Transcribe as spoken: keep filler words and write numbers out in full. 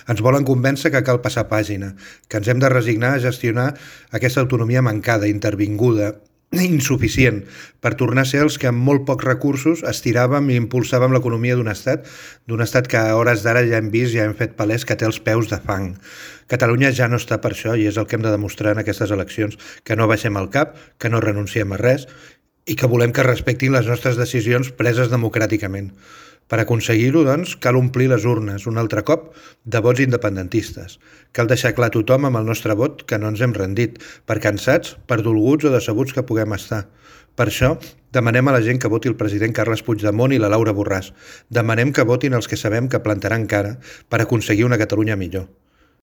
Ens volen convèncer que cal passar pàgina, que ens hem de resignar a gestionar aquesta autonomia mancada, intervinguda, insuficient, per tornar a ser els que amb molt pocs recursos estiràvem i impulsàvem l'economia d'un estat, d'un estat que a hores d'ara ja hem vist, ja hem fet palès que té els peus de fang. Catalunya ja no està per això i és el que hem de demostrar en aquestes eleccions, que no baixem el cap, que no renunciem a res i que volem que respectin les nostres decisions preses democràticament. Per aconseguir-ho, doncs, cal omplir les urnes un altre cop de vots independentistes. Cal deixar clar a tothom amb el nostre vot que no ens hem rendit, per cansats, per dolguts o decebuts que puguem estar. Per això, demanem a la gent que voti el president Carles Puigdemont i la Laura Borràs. Demanem que votin els que sabem que plantaran cara per aconseguir una Catalunya millor.